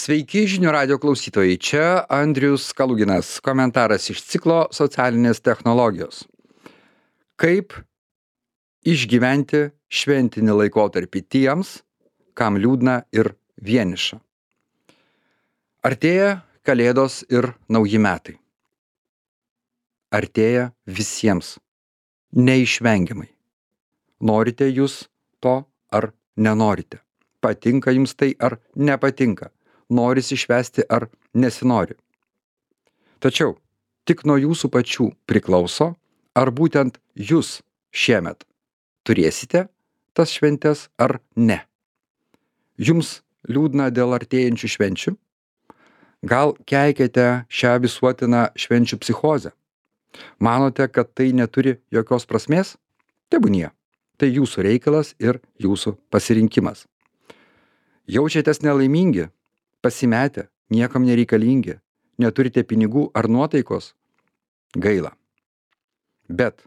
Sveiki žinių radio klausytojai, čia Andrius Kaluginas, komentaras iš ciklo socialinės technologijos. Kaip išgyventi šventinį laikotarpį tiems, kam liūdna ir vieniša. Artėja Kalėdos ir Nauji metai. Artėja visiems, neišvengiamai. Norite jūs to ar nenorite? Patinka jums tai ar nepatinka? Norisi švęsti ar nesinori. Tačiau tik nuo jūsų pačių priklauso, ar būtent jūs šiemet turėsite tas šventes ar ne. Jums liūdna dėl artėjančių švenčių? Gal keikiate šią visuotiną švenčių psichozę? Manote, kad tai neturi jokios prasmės? Tebūnie. Tai jūsų reikalas ir jūsų pasirinkimas. Jaučiatės nelaimingi? Pasimetę, niekam nereikalingi, neturite pinigų ar nuotaikos? Gaila. Bet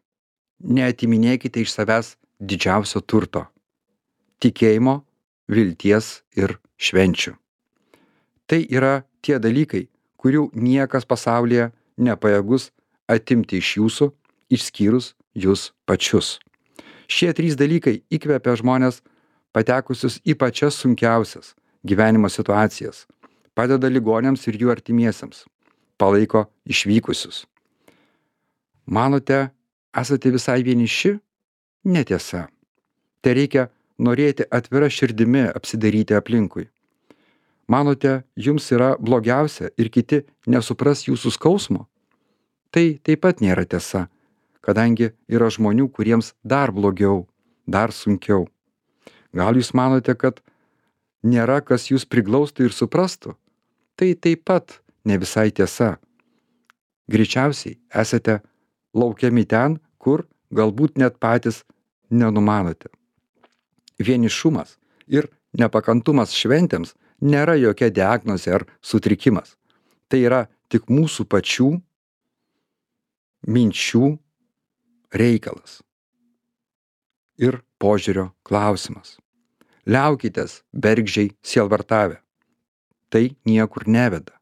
neatiminėkite iš savęs didžiausio turto - tikėjimo, vilties ir švenčių. Tai yra tie dalykai, kurių niekas pasaulyje nepajėgus atimti iš jūsų, išskyrus jūs pačius. Šie trys dalykai įkvepia žmonės patekusius į pačias sunkiausias gyvenimo situacijas, padeda ligoniams ir jų artimiesiems, palaiko išvykusius. Manote, esate visai vieniši? Netiesa. Tai reikia norėti atvira širdimi apsidairyti aplinkui. Manote, jums yra blogiausia ir kiti nesupras jūsų skausmo? Tai taip pat nėra tiesa, kadangi yra žmonių, kuriems dar blogiau, dar sunkiau. Gal jūs manote, kad nėra kas jūs priglaustų ir suprastų? Tai taip pat ne visai tiesa. Greičiausiai esate laukiami ten, kur galbūt net patys nenumanote. Vienišumas ir nepakantumas šventėms nėra jokia diagnozė ar sutrikimas. Tai yra tik mūsų pačių minčių reikalas ir požiūrio klausimas. Liaukitės bergždžiai sielvartavę. Tai niekur neveda.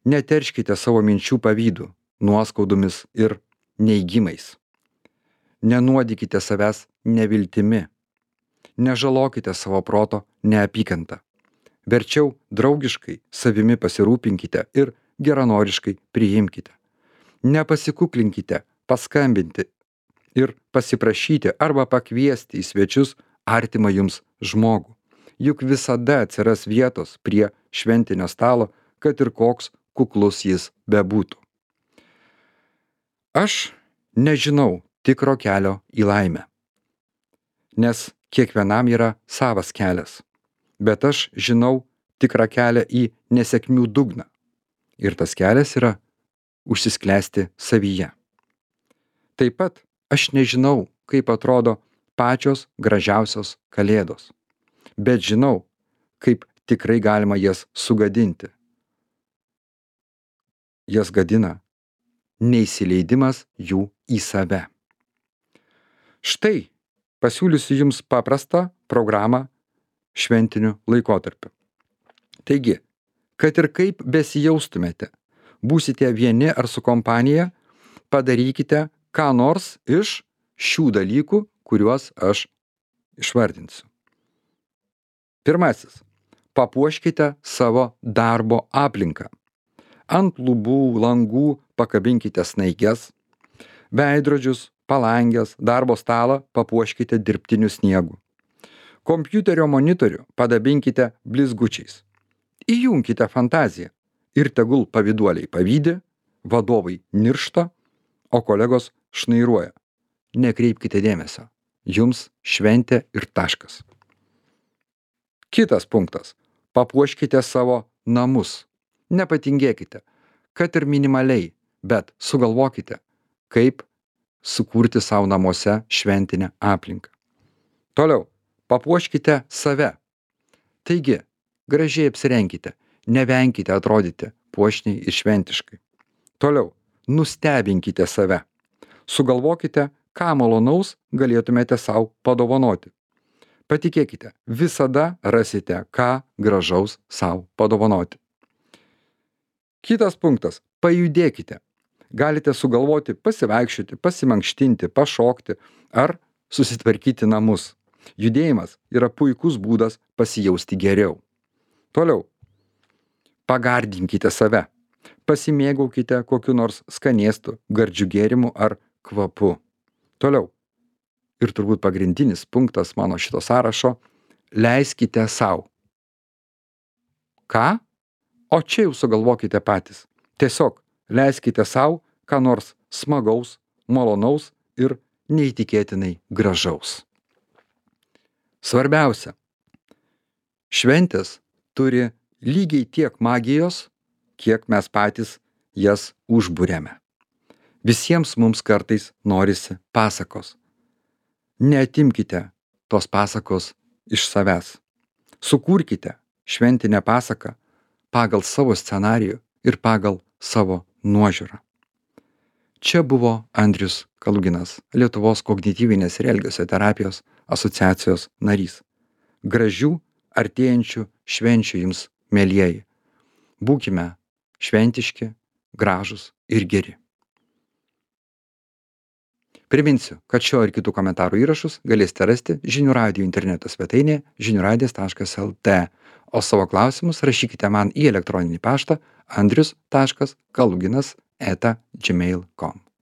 Neterškite savo minčių pavydų, nuoskaudomis ir neigimais. Nenuodykite savęs neviltimi. Nežalokite savo proto neapykantą. Verčiau draugiškai savimi pasirūpinkite ir geranoriškai priimkite. Nepasikuklinkite paskambinti ir pasiprašyti arba pakviesti į svečius artimą jums žmogų. Juk visada atsiras vietos prie šventinio stalo, kad ir koks kuklus jis bebūtų. Aš nežinau tikro kelio į laimę, nes kiekvienam yra savas kelias, bet aš žinau tikrą kelią į nesėkmių dugną. Ir tas kelias yra užsisklęsti savyje. Taip pat aš nežinau, kaip atrodo pačios gražiausios kalėdos, bet žinau, kaip tikrai galima jas sugadinti. Jas gadina neįsileidimas jų į save. Štai pasiūlysiu jums paprastą programą šventiniu laikotarpiu. Taigi, kad ir kaip besijaustumėte, būsite vieni ar su kompanija, padarykite ką nors iš šių dalykų, kuriuos aš išvardinsiu. Pirmasis. Papuoškite savo darbo aplinką. Ant lubų, langų pakabinkite snaiges, veidrodžius, palangės, darbo stalą papuoškite dirbtiniu sniegu. Kompiuterio monitorių padabinkite blizgučiais. Įjunkite fantaziją ir tegul pavyduoliai pavydi, vadovai niršta, o kolegos šnairuoja. Nekreipkite dėmesio. Jums šventė ir taškas. Kitas punktas. Papuoškite savo namus. Nepatingėkite, kad ir minimaliai, bet sugalvokite, kaip sukurti savo namuose šventinę aplinką. Toliau, papuoškite save. Taigi, gražiai apsirenkite, nevenkite atrodyti puošniai ir šventiškai. Toliau, nustebinkite save. Sugalvokite, ką malonaus galėtumėte savo padovanoti. Patikėkite, visada rasite, ką gražaus sau padovanoti. Kitas punktas – pajudėkite. Galite sugalvoti pasivaikščioti, pasimankštinti, pašokti ar susitvarkyti namus. Judėjimas yra puikus būdas pasijausti geriau. Toliau. Pagardinkite save. Pasimėgaukite kokiu nors skanėstu, gardžiu gėrimu ar kvapu. Toliau. Ir turbūt pagrindinis punktas mano šito sąrašo – leiskite sau. Ką? O čia jau sugalvokite patys. Tiesiog leiskite sau ką nors smagaus, malonaus ir neįtikėtinai gražaus. Svarbiausia. Šventės turi lygiai tiek magijos, kiek mes patys jas užburiame. Visiems mums kartais norisi pasakos. Neatimkite tos pasakos iš savęs. Sukurkite šventinę pasaką pagal savo scenarijų ir pagal savo nuožiūrą. Čia buvo Andrius Kaluginas, Lietuvos kognityvinės ir elgesio terapijos asociacijos narys. Gražių artėjančių švenčių jums, mielieji. Būkime šventiški, gražūs ir geri. Priminsiu, kad šio ir kitų komentarų įrašus galėsite rasti Žinių radijo interneto svetainėje žiniuradijas.lt, o savo klausimus rašykite man į elektroninį paštą andrius.kaluginas@gmail.com.